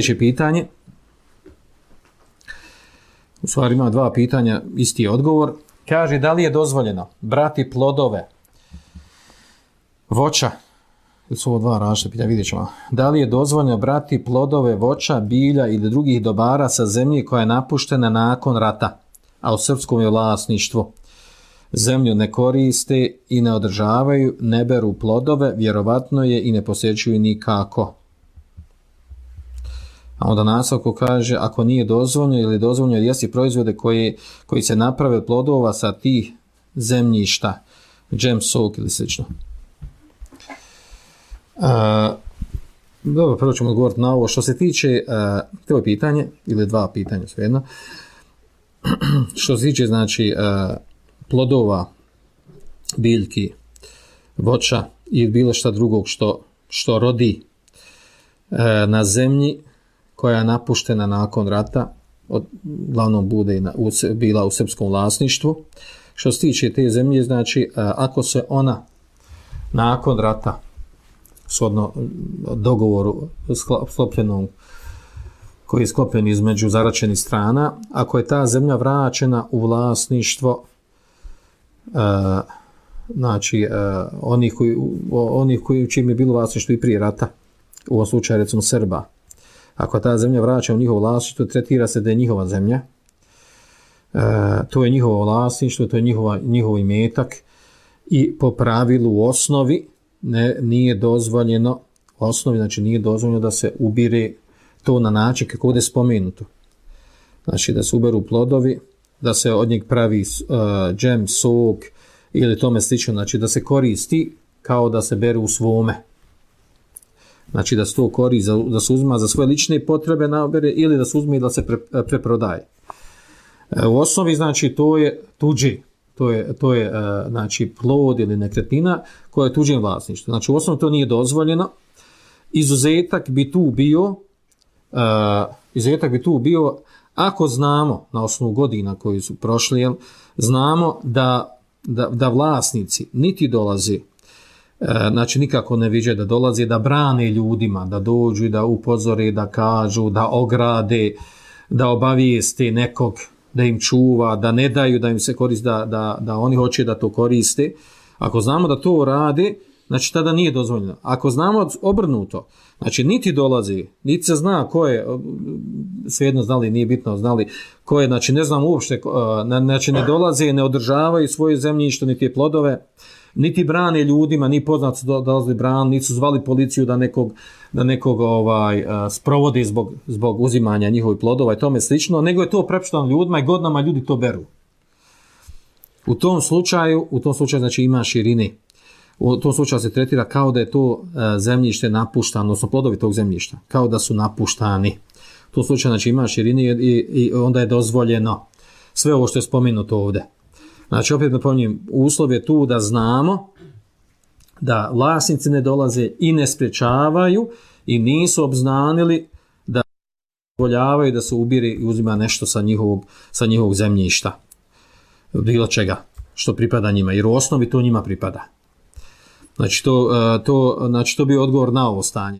Sljedeće pitanje, u stvari ima dva pitanja, isti odgovor. Kaže, da li je dozvoljeno brati plodove voća, su ovo dva različita pitanja, vidjet ćemo. Da li je dozvoljeno brati plodove voća, bilja ili drugih dobara sa zemlje koja je napuštena nakon rata, a u srpskom je vlasništvu? Zemlju ne koriste i ne održavaju, ne beru plodove, vjerovatno je i ne posjećuju nikako. A onda nastavku kaže, ako nije dozvoljeno ili dozvoljeno jesti proizvode koji se naprave od plodova sa tih zemljišta, džem, sok ili slično. Dobro, prvo ćemo odgovoriti na ovo. Što se tiče, to je pitanje, ili dva pitanja svejedno, što se tiče, znači, plodova, biljki, voća i bilo šta drugog što rodi na zemlji koja je napuštena nakon rata, uglavnom bude bila u srpskom vlasništvu. Što se tiče te zemlje, znači, ako se ona nakon rata, shodno dogovoru sklopljenom, koji je sklopljen između zaračenih strana, ako je ta zemlja vraćena u vlasništvo znači onih koji u čim je bilo vlasništvo i prije rata, u ovom slučaju recimo Srba, ako ta zemlja vraća u njihovo vlasništvo, tretira se da je njihova zemlja, to je njihovo vlasništvo, to je njihov imetak i po pravilu u osnovi nije dozvoljeno, u osnovi znači nije dozvoljeno da se ubire to na način kako ovdje je spomenuto. Znači da se uberu plodovi, da se od njeg pravi džem, sok ili tome slično, znači da se koristi kao da se bere u svome. Znači da se to koristi, da se uzima za svoje lične potrebe nabere ili da se uzme i da se preprodaje. U osnovi znači to je tuđi, to je znači plod ili nekretnina koja je tuđem vlasništvu. Znači u osnovi to nije dozvoljeno. Izuzetak bi tu bio ako znamo na osnovu godina koji su prošli, znamo da vlasnici niti dolazi, znači nikako ne viđe da dolazi da brane ljudima, da dođu i da upozore, da kažu, da ograde, da obavijeste nekog, da im čuva, da ne daju da im se koristi, da oni hoće da to koriste. Ako znamo da to rade, znači tada nije dozvoljeno. Ako znamo obrnuto, znači niti dolazi, niti se zna ko je, svejedno znali, nije bitno znali ko je, znači ne znam uopšte, znači ne dolaze, ne održavaju svoje zemljište, niti je plodove, niti brane ljudima, ni poznat su dolazili bran, niti su zvali policiju da nekog sprovodi zbog uzimanja njihovih plodova i tome slično, nego je to prepušteno ljudima i godinama ljudi to beru. U tom slučaju znači ima širine. U tom slučaju se tretira kao da je to zemljište napuštano, odnosno plodovi tog zemljišta, kao da su napuštani. U tom slučaju znači ima širine i onda je dozvoljeno sve ovo što je spomenuto ovdje. Znači opet napominjem, uslov je tu da znamo da vlasnici ne dolaze i ne sprječavaju i nisu obznanili da dozvoljavaju da se ubire i uzima nešto sa njihovog zemljišta. Bilo čega što pripada njima, jer u osnovi to njima pripada. Znači to bi odgovor na ovo stanje.